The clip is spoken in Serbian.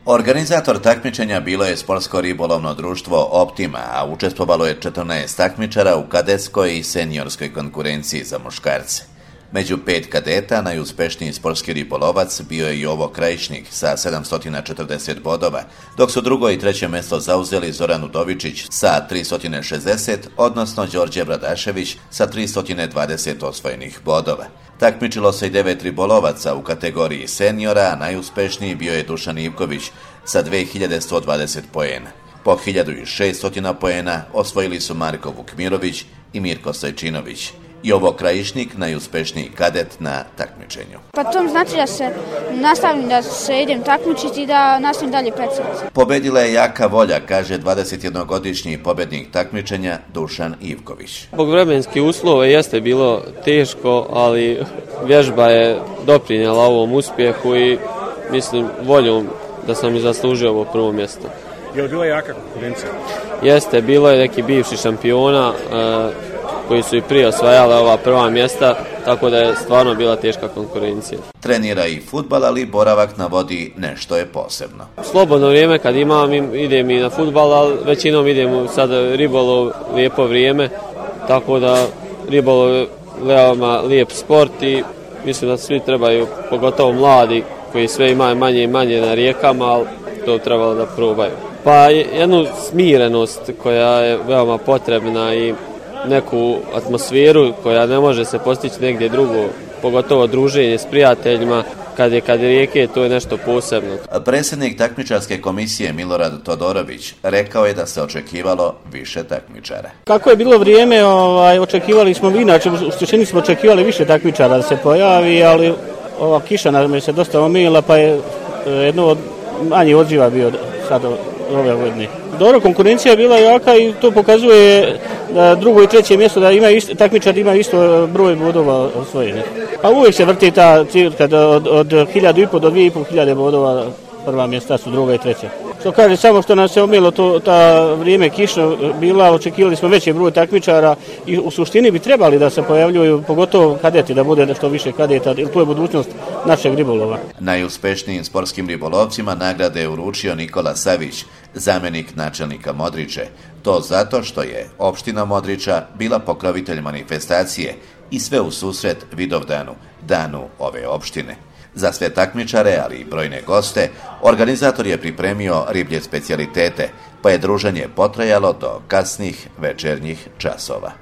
Organizator takmičenja bilo je sportsko ribolovno društvo Optima, a učestvovalo je 14 takmičara u kadetskoj i seniorskoj konkurenciji za muškarce. Među 5 kadeta najuspešniji sportski ribolovac bio je Jovo Krajišnik sa 740 bodova, dok su drugo i treće mjesto zauzeli Zoran Udovičić sa 360, odnosno Đorđe Bradašević sa 320 osvojenih bodova. Takmičilo se i 9 ribolovaca u kategoriji seniora, a najuspešniji bio je Dušan Ivković sa 2120 poena. Po 1600 poena osvojili su Marko Vukmirović i Mirko Stojčinović. Jovo Krajišnik, najuspešniji kadet na takmičenju. Pa to znači da se nastavim, da se idem takmičiti i da nastavim dalje predsjedati. Pobedila je jaka volja, kaže 21-godišnji pobednik takmičenja Dušan Ivković. Zbog vremenskih uslova jeste bilo teško, ali vježba je doprinijela ovom uspjehu i mislim voljom da sam i zaslužio ovo prvo mjesto. Je li bila jaka konkurencija? Jeste, bilo je neki bivši šampiona koji su i prije osvajali ova prva mjesta, tako da je stvarno bila teška konkurencija. Trenira i fudbal, ali boravak na vodi nešto je posebno. Slobodno vrijeme kad imam, idem i na fudbal, ali većinom idem sad ribolov, lijepo vrijeme, tako da ribolov je veoma lijep sport i mislim da svi trebaju, pogotovo mladi koji sve imaju manje i manje na rijekama, ali to trebalo da probaju. Pa jednu smirenost koja je veoma potrebna i neku atmosferu koja ne može se postići negdje drugo, pogotovo druženje s prijateljima, kad je rijeke, to je nešto posebno. Predsjednik takmičarske komisije Milorad Todorović rekao je da se očekivalo više takmičara. Kako je bilo vrijeme, očekivali smo, inače u suštini smo očekivali više takmičara da se pojavi, ali ova kiša nam je se dosta omila, pa je jedno od manjih odziva bio sad ove godine. Dobro, konkurencija je bila jaka i to pokazuje da drugo i treće mjesto da takmičar ima isto broj bodova osvojenih. Pa uvijek se vrti ta cirka od 1500 do 2500 bodova, prva mjesta su druga i treća. Što kaže, samo što nas se omilo ta vrijeme kišno bila, očekivali smo veći broj takmičara i u suštini bi trebali da se pojavljuju, pogotovo kadeti, da bude nešto više kadeta, jer to je budućnost našeg ribolova. Najuspešnijim sportskim ribolovcima nagrade je uručio Nikola Savić, zamjenik načelnika Modriče. To zato što je opština Modriča bila pokrovitelj manifestacije i sve u susret Vidovdanu, danu ove opštine. Za sve takmičare, ali i brojne goste, organizator je pripremio riblje specijalitete, pa je druženje potrajalo do kasnih večernjih časova.